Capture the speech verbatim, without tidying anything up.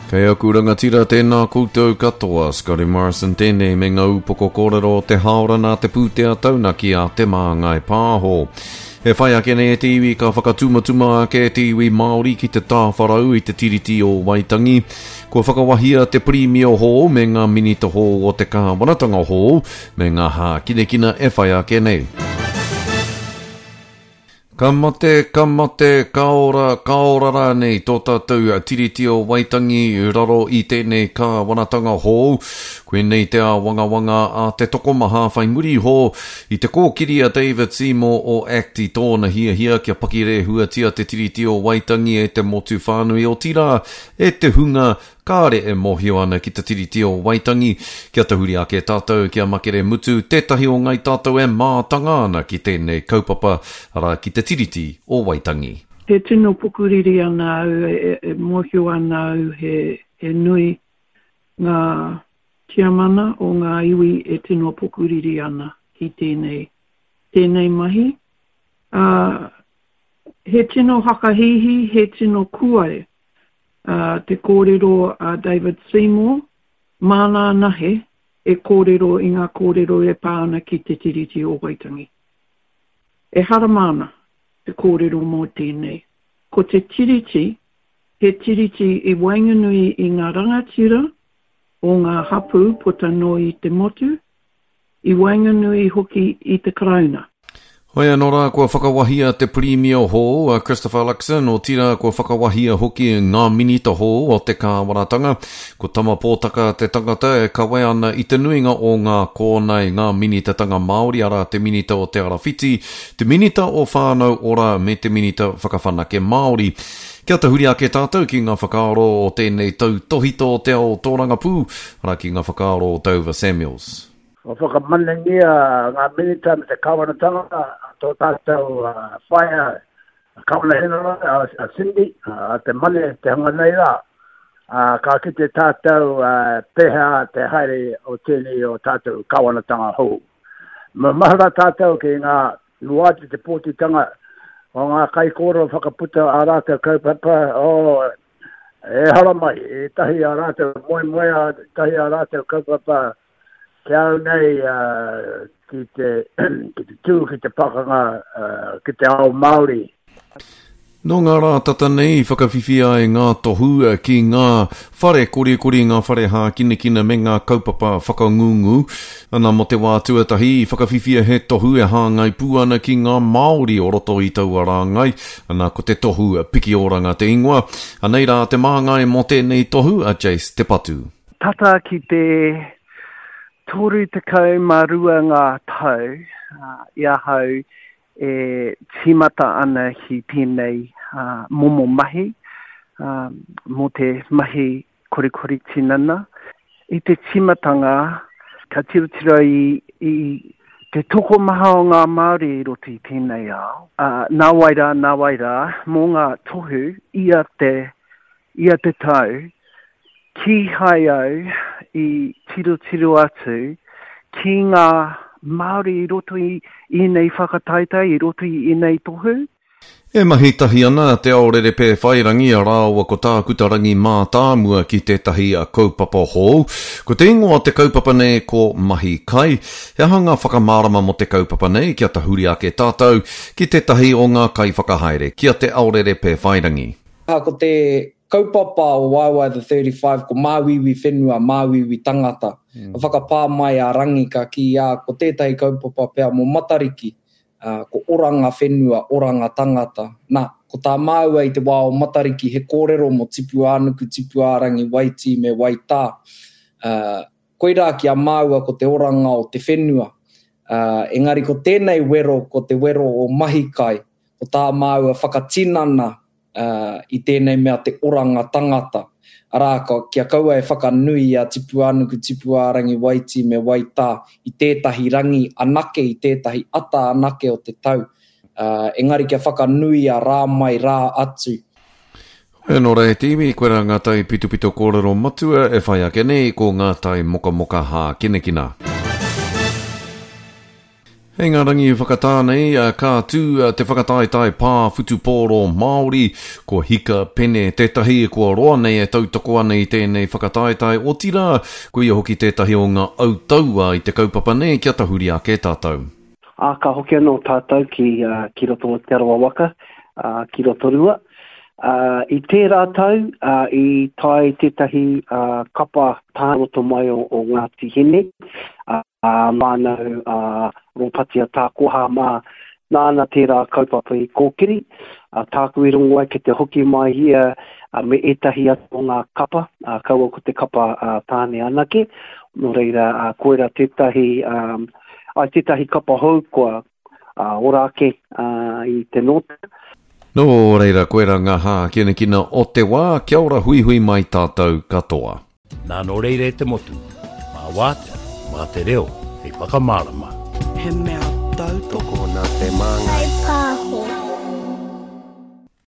Kei aku rangatira tēnā koutou katoa, Scotty Morrison tēnei me ngā upoko kōrero o te haora nā te pūtea taunaki a Te Māngai Pāho. E whai ake nei e te iwi ka whakatumatuma ake te iwi Māori ki te tāwharau i te Tiriti o Waitangi. Kua whakawahia te Pirimia hou me ngā minita hou o te kāwanatanga hou me ngā hākinakina e whai ake nei. Ka mate, ka mate, ka ora, ka ora rānei tō tātou Tiriti o Waitangi raro i tēnei kāwanatanga hou. Koinei te āwangawanga a te tokomaha whai muri iho i te kōkiri a David Seymour o ACT i tōna hiahia kia pakirehuatia te Tiriti o Waitangi e te motu whānui, otirā e te hunga kāre e mōhio ana ki te Tiriti o Waitangi. Kia tahuri ake tātou kia makere mutu tētahi o ngai tātou e mātanga ana ki tēnei kaupapa, arā ki te Tiriti o Waitangi. He tino pukuriri ana au, e, e mōhio ana au he, he nui ngā tiamana o ngā iwi e tino pukuriri ana ki tēnei, tēnei mahi. Uh, he tino whakahīhī, he tino kuare uh, te kōrero a David Seymour, māna anahe e kōrero i ngā kōrero e pā ana ki te Tiriti o Waitangi. Ehara māna te kōrero mō tēnei. Ko te Tiriti, he tiriti i waenganui i ngā rangatira o ngā hapū puta noa i te motu, i waenganui hoki i te Karauna. Hoi anō rā, kua whakawahia te Pirimia hou a Christopher Luxon, otirā kua whakawahia hoki ngā minita hou o te kāwanatanga. Ko Tama Pōtaka te tangata e kawe ana i te nuinga o ngā kōnae ngā minitatanga Māori, arā te minita o Te Arawhiti, te minita o Whānau Ora me te minita Whakawhanake Māori. Kia tahuri ake tātou ki ngā whakaaro o tēnei tautōhito o te ao tōrangapū, arā ki ngā whakaaro o Dover Samuels. Kua whakamanengia ngā minita me te kāwanatanga a tō tātou whaea Kāwana a Cindy, a te mane te hanga nei rā. Ka kite tātou pēhea te haere o tēnei o tātou kāwanatanga hou. Me mahara tātou ki ngā mua atu te pōtitanga o ngā kaikōrero whakaputa ā rātou kaupapa, oh, e haramai, ētahi ā rātou moemoeā, ētahi ā rātou kaupapa ki au nei ki te, ki te tū, ki te pakanga, ki te ao Māori. Nō ngā rā tata nei i whakawhiwhia ai ngā tohu ki ngā whare korikori, ngā whare hākinakina me ngā kaupapa whakangungu. Ana mō te wā tuatahi i whakawhiwhia he tohu e hāngai pū ana ki ngā Māori o roto i taua rāngai. Ana ko te tohu Piki Oranga te ingoa. Anei rā te māngai mō tēnei tohu a Jace Te Patu. Tata ki te toru tekau mā rua ngā tau i ahau e tīmata ana ki tēnei uh, momo mahi, uh, mō te mahi korikori tinana. I te tīmatanga, ka tirotiro i, i te tokomaha o ngā Māori i roto i tēnei ao. Uh, nā wai rā, nā wai rā, mō ngā tohu ia te, ia te tau, kīhai au i tirotiro atu ki ngā Māori i roto i ēnei whakataetae, i roto i ēnei tohu. E mahi tahi ana te Aorere Pēwhairangi a rāua ko Tākuta Rangi Mātāmua ki tētahi kaupapa hou. Ko te ingoa o te kaupapa nei ko Mahi Kai. He aha ngā whakamārama mō te kaupapa nei kia tahuri ake tātou ki tētahi o ngā kaiwhakahaere, ki a Te Aorere Pēwhairangi. Ko te kaupapa o Y Y The thirty-five ko māuiui whenua, māuiui tangata. Mm. Ka whakapā mai a Rangi ka kī ā, ko tētahi kaupapa pea mō Matariki, uh, ko oranga whenua, oranga tangata. Nā, ko tā māua i te wā o Matariki he kōrero mō Tipu Ānuku, Tipu Ārangi, Waitī me Waitā. Uh, koirā ki a māua ko te oranga o te whenua. Uh, engari ko tēnei wero, ko te wero o Mahi Kai, ko tā māua whakatinana Uh, i tēnei mea te oranga tangata. Arā, ka, kia kaua e whakanui a Tipu Ānuku, Tipu Ārangi, Waitī me Waitā i tētahi rangi anake, i tētahi ata anake o te tau. Uh, engari kia whakanui a rā mai rā atu. Nō reira te iwi, koirā ngā tai pitopito kōrero matua e whai ake nei ko ngā tai mokamoka hākinakina. Hei ngā rangi whakatā nei, ka tū te whakataetae pā whutupōro Māori, ko Hika Pene tētahi kua roa nei e tautoko ana i tēnei whakataetae, otirā, ko ia hoki tētahi o ngā autaua i te kaupapa nei kia tahuri ake tātou. Ā, ka hoki anō tātou ki, uh, ki roto o Te Arawa waka, uh, ki Rotorua. Uh, I tērā tau, uh, i tae tētahi uh, kapa tāroto mai o, o Ngāti Hine, uh, uh, mānau uh, Rōpatia Tākoha mā, nāna tērā kaupapa i kōkiri. Uh, tāku i rongo ai ki te hoki mai ia uh, me ētahi atu o ngā kapa, uh, kaua ko te kapa uh, tāne anake. Nō reira, uh, koira tētahi, um, ai tētahi kapa hou kua uh, ora ake uh, i te nōta. Nō reira, koera ngā hākinakina o te wā, kia ora huihui mai tātou katoa. Nā nō reira e te motu, mā wātea, mā te reo, hei whakamārama. He mea tautoko Tokona te māngai.